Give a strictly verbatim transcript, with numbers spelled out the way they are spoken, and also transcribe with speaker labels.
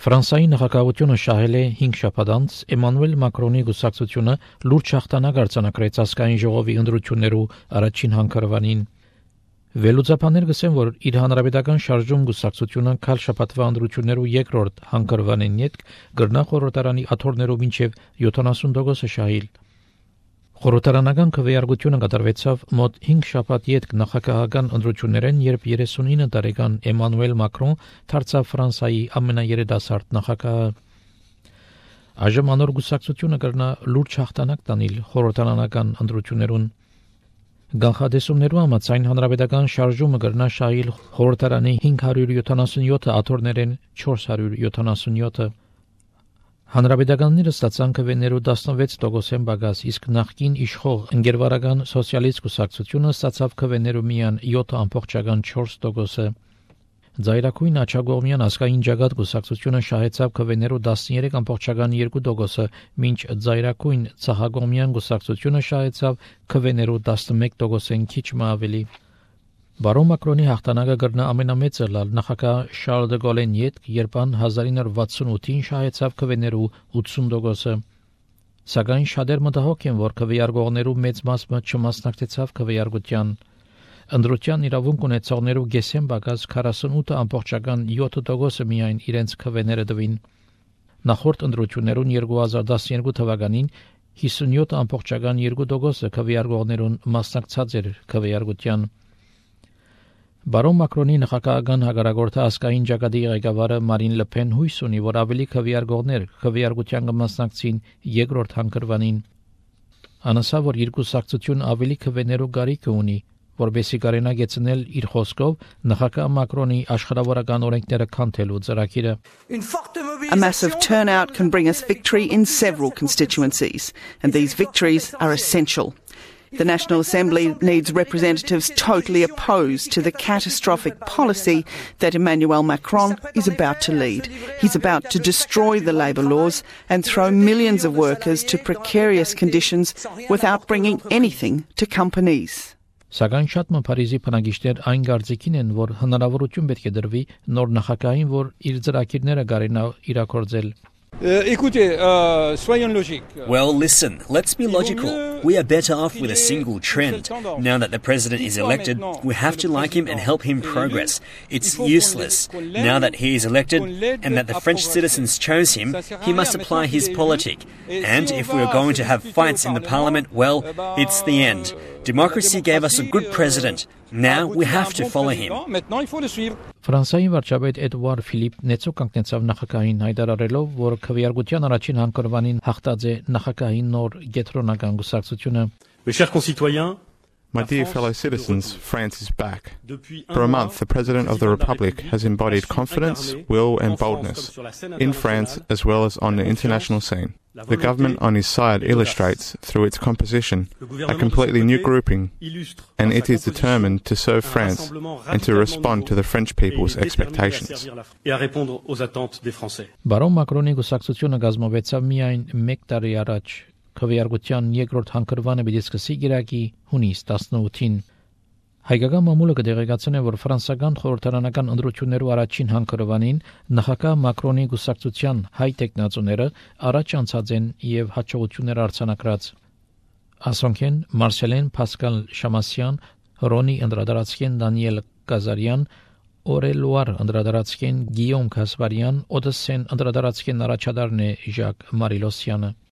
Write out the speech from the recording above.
Speaker 1: Ֆրանսիայի նախագահությունը շահել է հինգ շաբաթ անց Էմանուել Մակրոնի գուսակցությունը լուրջ հաղթանակ արձանագրեց ազգային ժողովի ընտրություններու առաջին հանգրվանին։ Վերլուծաբաններ գսեն, որ իր հանրապետական շարժում գուսակցությունը քալ շաբաթվա ընտրություններու երկրորդ հանգրվանին յետ գրնա խորհրդարանի աթոռներով մինչև յոթանասուն տոկոս շահիլ։ Խորհրդարանական քվեարկությունը կատարվեցավ մոտ հինգ շաբաթ յետ նախագահական ընտրություններեն, երբ երեսունինը տարեկան Էմանուել Մակրոն դարձավ Ֆրանսիայի ամենաերիտասարդ նախագահը։ Այժմ անոր գուսակցությունը կրնա լուրջ հաղթանակ տանել խորհրդարանական ընտրություններուն։ Գանխադեսումներու համաձայն հանրապետական շարժումը կրնա շահիլ խորհրդարանի հինգ հարյուր յոթանասունյոթ աթոռներեն չորս հարյուր յոթանասունյոթը։ Հանրապետականները ստացան քվեներու տասնվեց տոկոսեն բագաս, իսկ նախկին իշխող ընկերվարական սոցիալիստ կուսակցությունը ստացավ քվեներու միան յոթ ամբողջական չորս տոկոսը։ Ձայրակույն աչագողմյան ազգային ջագատ կուսակցությունը շահեցավ քվեներու տասներեք ամբողջական երկու տոկոսը, մինչ ձայրակույն ցախագողմյան կուսակցությունը շահեցավ քվեներու տասնմեկ տոկոսեն քիչ մը ավելի։ Բարոն Մակրոնի հաղթանակը կրնա ամենամեծը լալ նախագահ Շարլ դե Գոլեն յետ, երբ ան հազար ինը հարյուր վաթսունութին շահեցավ քվեներու ութսուն տոկոսը։ Սակայն շատեր մտահոգ են, որ քվեարկողներու մեծ մասը չմասնակցեցավ քվեարկության։ Ընտրության իրավունք ունեցողներու գեսեն բակած քառասունութ ամբողջական յոթ տոկոսը միայն իրենց քվեները տվին։ Նախորդ ընտրություններուն երկու հազար տասներկու թվականին հիսունյոթ ամբողջական երկու տոկոսը քվեարկողներուն մասնակցած էր քվեարկության։ Բարոն Մակրոնի նախագահական հագարագորթը ազգային ջագատի ղեկավարը Մարին Լեփեն հույս ունի, որ ավելի քվեարկողներ քվեարկության կմասնակցին երկրորդ հանգրվանին։ Անասա, որ երկու սակցություն ավելի քվեներու գարիք ունի, որբեսի կարենա գեցնել իր խոսքով նախագահ Մակրոնի աշխարհավորական օրենքները քանթելու ծրագիրը։
Speaker 2: A massive turnout can bring us victory in several constituencies, and these victories are essential. The National Assembly needs representatives totally opposed to the catastrophic policy that Emmanuel Macron is about to lead. He's about to destroy the labour laws and throw millions of workers to precarious conditions without bringing anything to companies.
Speaker 1: Սակայն շատ մը Փարիզի բնակիչներ այն կարծիքին են, որ հնարավորություն պետք է դրվի նոր նախագահին, որ իր ծրագիրները կարենա իրագործել։
Speaker 3: Well, listen, let's be logical. We are better off with a single trend. Now that the president is elected, we have to like him and help him progress. It's useless. Now that he is elected and that the French citizens chose him, he must apply his politic. And if we are going to have fights in the parliament, well, it's the end. Democracy gave us a good president. Now we have to follow him.
Speaker 1: Ֆրանսիայի վարչապետ Էդուարդ Ֆիլիպ Նեցո կանգնեցավ նախագահին հայտարարելով, որ քվեարկության առաջին հանգրվանին հաղթած է նախագահի նոր գետրոնական գուսակցությունը։
Speaker 4: Mes chers concitoyens,
Speaker 5: My dear fellow citizens, France is back. For a month, the President of the Republic has embodied confidence, will and boldness in France as well as on the international scene. The government on his side illustrates, through its composition, a completely new grouping, and it is determined to serve France and to respond to the French people's expectations.
Speaker 1: Բարոն Մակրոնի գուսակցությունը գազմովեցավ միայն մեկ տարի առաջ։ Քվեարկության երկրորդ հանգրվանը պիտի սկսի գիրակի հունիս տասնութին։ Հայկական մամուլը կդեղեկացնե, որ ֆրանսական խորհրդարանական ընտրություններու առաջին հանգրվանին նախագահ Մակրոնի գուսակցության հայ տեխնացուները առաջ անցած են եւ հաջողություններ արձանագրած։ Ասոնքեն Մարսելեն Պասկալ Շամասյան, Ռոնի Անդրադարացկեն Դանիել Կազարյան, Օրելուար Անդրադարացկեն Գիոմ Կասպարյան, Օդեսեն Անդրադարացկեն առաջադարն է Ժակ Մարիլոսյանը։